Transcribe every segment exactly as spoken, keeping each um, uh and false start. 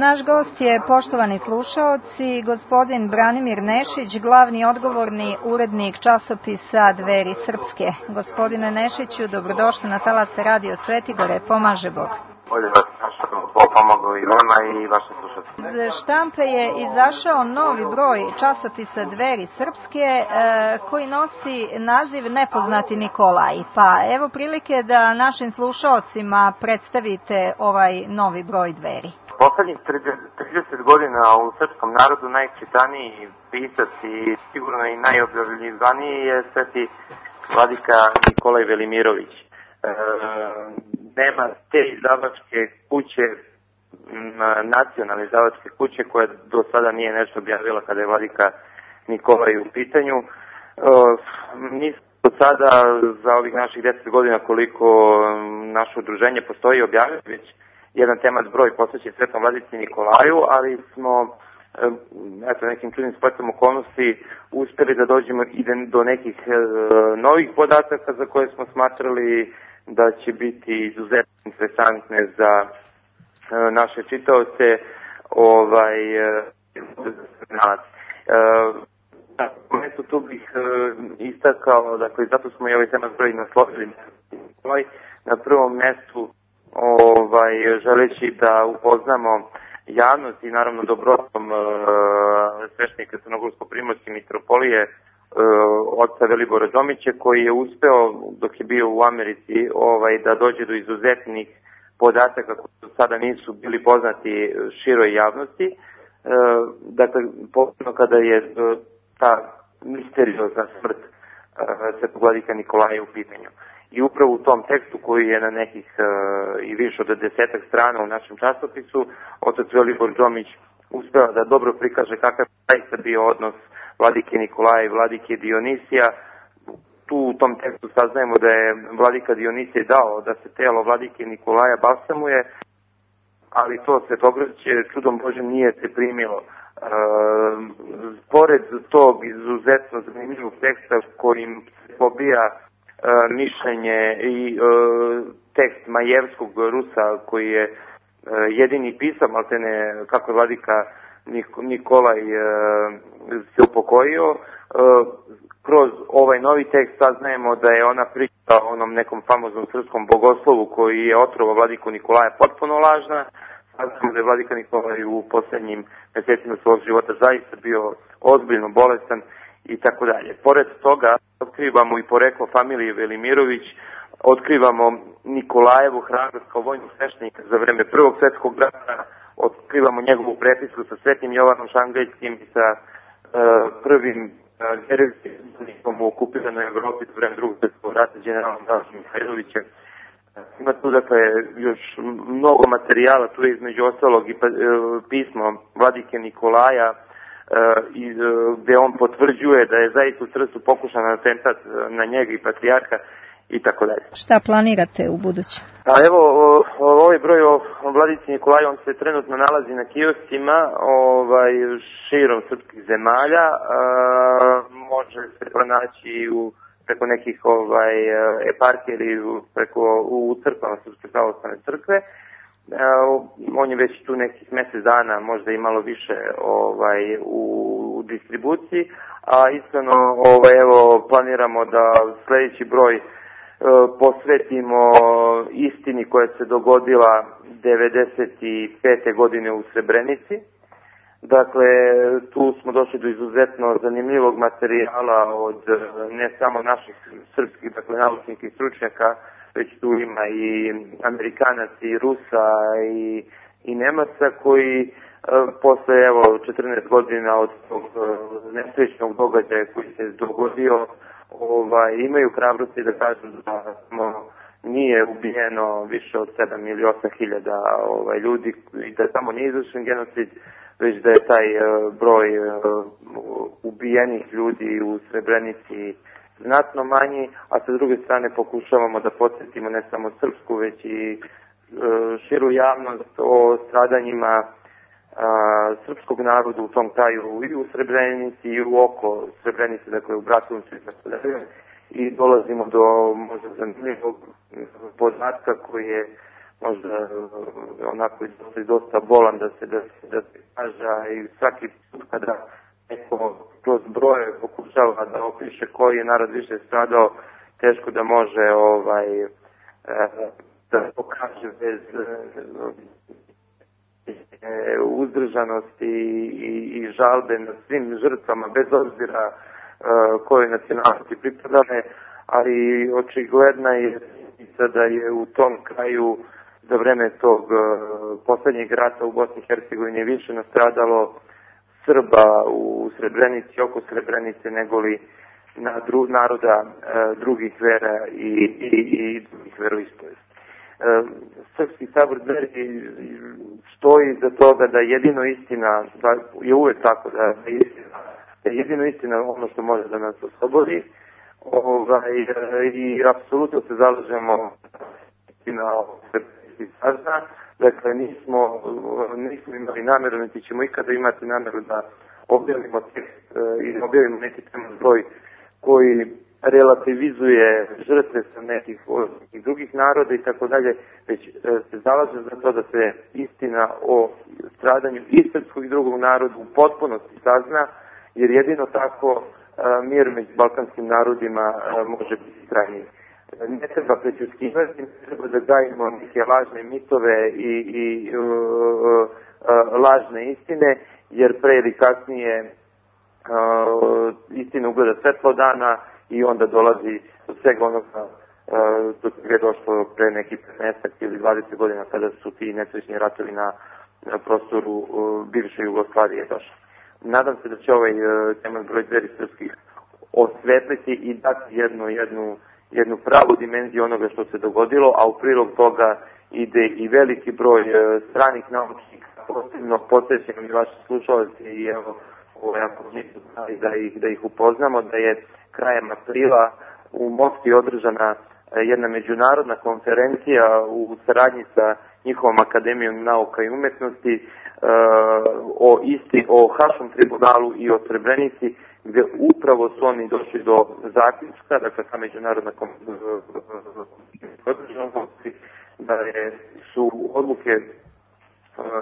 Naš gost je, poštovani slušaoci, gospodin Branimir Nešić, glavni odgovorni urednik časopisa Dveri Srpske. Gospodine Nešiću, dobrodošli na talase Radio Svetigore, pomaže Bog. Bolje vas našao, pomogao i vama i vaše slušalci. Iz štampe je izašao novi broj časopisa Dveri Srpske e, koji nosi naziv Nepoznati Nikolaj. Pa evo prilike da našim slušaocima predstavite ovaj novi broj Dveri. Poslednjih trideset godina u srpskom narodu najčitaniji pisac i sigurno i najobjavljivaniji je sveti vladika Nikolaj Velimirović. E, nema te izdavačke kuće, nacionalne izdavačke kuće koja do sada nije nešto objavila kada je vladika Nikolaj u pitanju. E, nismo do sada za ovih naših deset godina koliko naše udruženje postoji objavili već jedan temat broj posvećen svetom vladici Nikolaju, ali smo eto, nekim čudnim spletom okolnosti uspeli da dođemo i do nekih e, novih podataka za koje smo smatrali da će biti izuzetno interesantne za e, naše čitaoce. Ovaj, e, na momentu tu bih e, istakao, dakle, zato smo i ovaj temat broj naslovili na prvom mestu, ovaj, želeći da upoznamo javnost i naravno dobrotom e, sveštenika Crnogorsko-primorske mitropolije e, oca Velibora Đomića, koji je uspeo dok je bio u Americi ovaj, da dođe do izuzetnih podataka koji do sada nisu bili poznati široj javnosti. E, dakle, posebno kada je e, ta misteriozna smrt e, svetog vladika Nikolaja u pitanju. I upravo u tom tekstu koji je na nekih e, i više od desetak strana u našem časopisu, otac Velibor Đomić uspeo da dobro prikaže kakav je zaista bio odnos vladike Nikolaja i vladike Dionisija. Tu u tom tekstu saznajemo da je vladika Dionisije dao da se telo vladike Nikolaja balsamuje, ali to Svetogrđe čudom Božem nije se primilo. E, pored tog izuzetno zanimljivog teksta kojim se pobija E, mišljenje i e, tekst Majevskog Rusa koji je e, jedini pisao, maltene kako je vladika Nik Nikolaj e, se upokojio. E, kroz ovaj novi tekst saznajemo da je ona priča o onom nekom famoznom srpskom bogoslovu koji je otrovao vladiku Nikolaja potpuno lažna. Saznajemo da je vladika Nikolaj u poslednjim mesecima svog života zaista bio ozbiljno bolestan i tako dalje. Pored toga, otkrivamo i poreklo familije Velimirović, otkrivamo Nikolajevu hrabrost kao vojnog sveštenika za vreme Prvog svetskog rata, otkrivamo njegovu prepisku sa Svetim Jovanom Šangajskim i sa uh, prvim herojskim u okupiranoj Evropi za vreme Drugog svetskog rata, generalom Dražom Mihajlovićem. Ima tu, dakle, još mnogo materijala, tu je između ostalog i pa, uh, pismo vladike Nikolaja, i gde on potvrđuje da je zaista u Trstu pokušan atentat na njega i patrijarha i tako dalje. Šta planirate u buduće? A evo, ovaj broj o vladici Nikolaju, on se trenutno nalazi na kioscima ovaj, širom srpskih zemalja. A, može se pronaći u, preko nekih ovaj, eparhija ili preko, u crkvama Srpske pravoslavne crkve. Uh, on je već tu nekih mesec dana, možda i malo više ovaj, u, u distribuciji, a iskreno ovaj, evo, planiramo da sledeći broj uh, posvetimo istini koja se dogodila devedeset pete godine u Srebrenici. Dakle, tu smo došli do izuzetno zanimljivog materijala od ne samo naših srpskih, dakle, naučnih i stručnjaka, već tu ima i Amerikanaca i Rusa i, i Nemaca koji e, posle evo četrnaest godina od tog e, nesrećnog događaja koji se dogodio ovaj, imaju hrabrosti da kažu da smo, nije ubijeno više od sedam ili osam hiljada ovaj, ljudi i da samo nije izvršen genocid, već da je taj e, broj e, ubijenih ljudi u Srebrenici znatno manji, a sa druge strane pokušavamo da podsjetimo ne samo srpsku, već i e, širu javnost o stradanjima a, srpskog naroda u tom kraju i u Srebrenici i u oko Srebrenice, dakle u Bratuncu i tako dalje. I dolazimo do možda zanimljivog podatka koji je možda onako dosta, dosta bolan da se, da se, da se kaže, i svaki put kada neko kroz broje pokušava da opiše koji je narod više stradao, teško da može ovaj, da pokaže bez uzdržanosti i, i žalbe na svim žrtvama, bez obzira koje nacionalnosti pripadane, ali očigledna je da je u tom kraju za vreme tog poslednjeg rata u Bosni i Hercegovini više nastradalo Srba u Srebrenici, oko Srebrenice, negoli na dru, naroda drugih vera i, i, i drugih veroispovesti. Srpski sabor Dveri stoji za toga da jedino istina, da je uvek tako, da je istina, da je jedino istina ono što može da nas oslobodi, ovaj, i apsolutno se zalažemo na srpskih sazna. Dakle, nismo, nismo imali nameru, niti ćemo ikada imati nameru da objavimo tekst i objavimo neki teman broj koji relativizuje žrtve sa nekih drugih naroda i tako dalje, već se zalaže za to da se istina o stradanju i srpskog i drugog naroda u potpunosti sazna, jer jedino tako mir među balkanskim narodima može biti trajniji. Ne treba prećutkivati, ne treba da gajimo neke lažne mitove i, i uh, uh, lažne istine, jer pre ili kasnije uh, istina ugleda svetlo dana i onda dolazi do svega onoga uh, do čega je došlo pre neki petnaest ili dvadeset godina kada su ti nesrećni ratovi na, na prostoru uh, bivše Jugoslavije došli. Nadam se da će ovaj uh, teman broj Dveri srpskih osvetliti i dati jednu, jednu jednu pravu dimenziju onoga što se dogodilo, a u prilog toga ide i veliki broj e, stranih naučnika, posebno posvećenom i vaši slušalci, i evo, ovo jako nisu znali da ih, da ih upoznamo, da je krajem aprila u Moskvi održana e, jedna međunarodna konferencija u saradnji sa njihovom Akademijom nauka i umetnosti e, o isti, o Haškom tribunalu i o Srebrenici, gde upravo su oni došli do zaključka, dakle ta međunarodna konferencija, da je, su odluke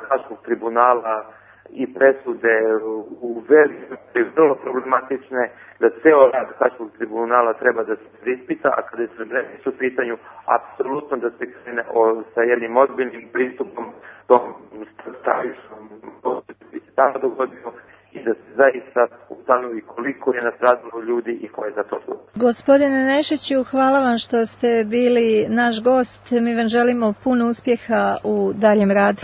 Haškog tribunala i presude u velikom vrlo problematične, da ceo rad Haškog tribunala treba da se preispita, a kada je Srebrenica u pitanju, apsolutno da se krene o, sa jednim ozbiljnim pristupom tom stavišnom bi se tamo dogodio i da se zaista ustanovi koliko je nastradalo ljudi i ko je za to odgovoran. Gospodine Nešiću, hvala vam što ste bili naš gost. Mi vam želimo puno uspjeha u daljem radu.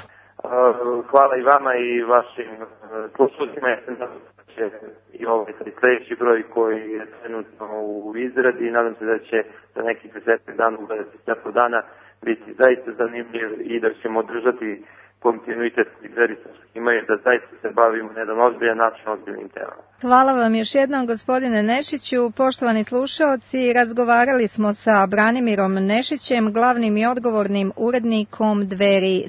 Hvala i vama i vašim slušalcima. Će i ovaj sljedeći broj koji je trenutno u izradi i nadam se da će za nekih deset dana, u dvadeset dana biti zaista zanimljiv i da ćemo održati kontinuitet koji Dveri srpskih imaju, da zaista se bavimo na jedan ozbiljan način ozbiljnim temama. Hvala vam još jednom, gospodine Nešiću. Poštovani slušaoci, razgovarali smo sa Branimirom Nešićem, glavnim i odgovornim urednikom Dveri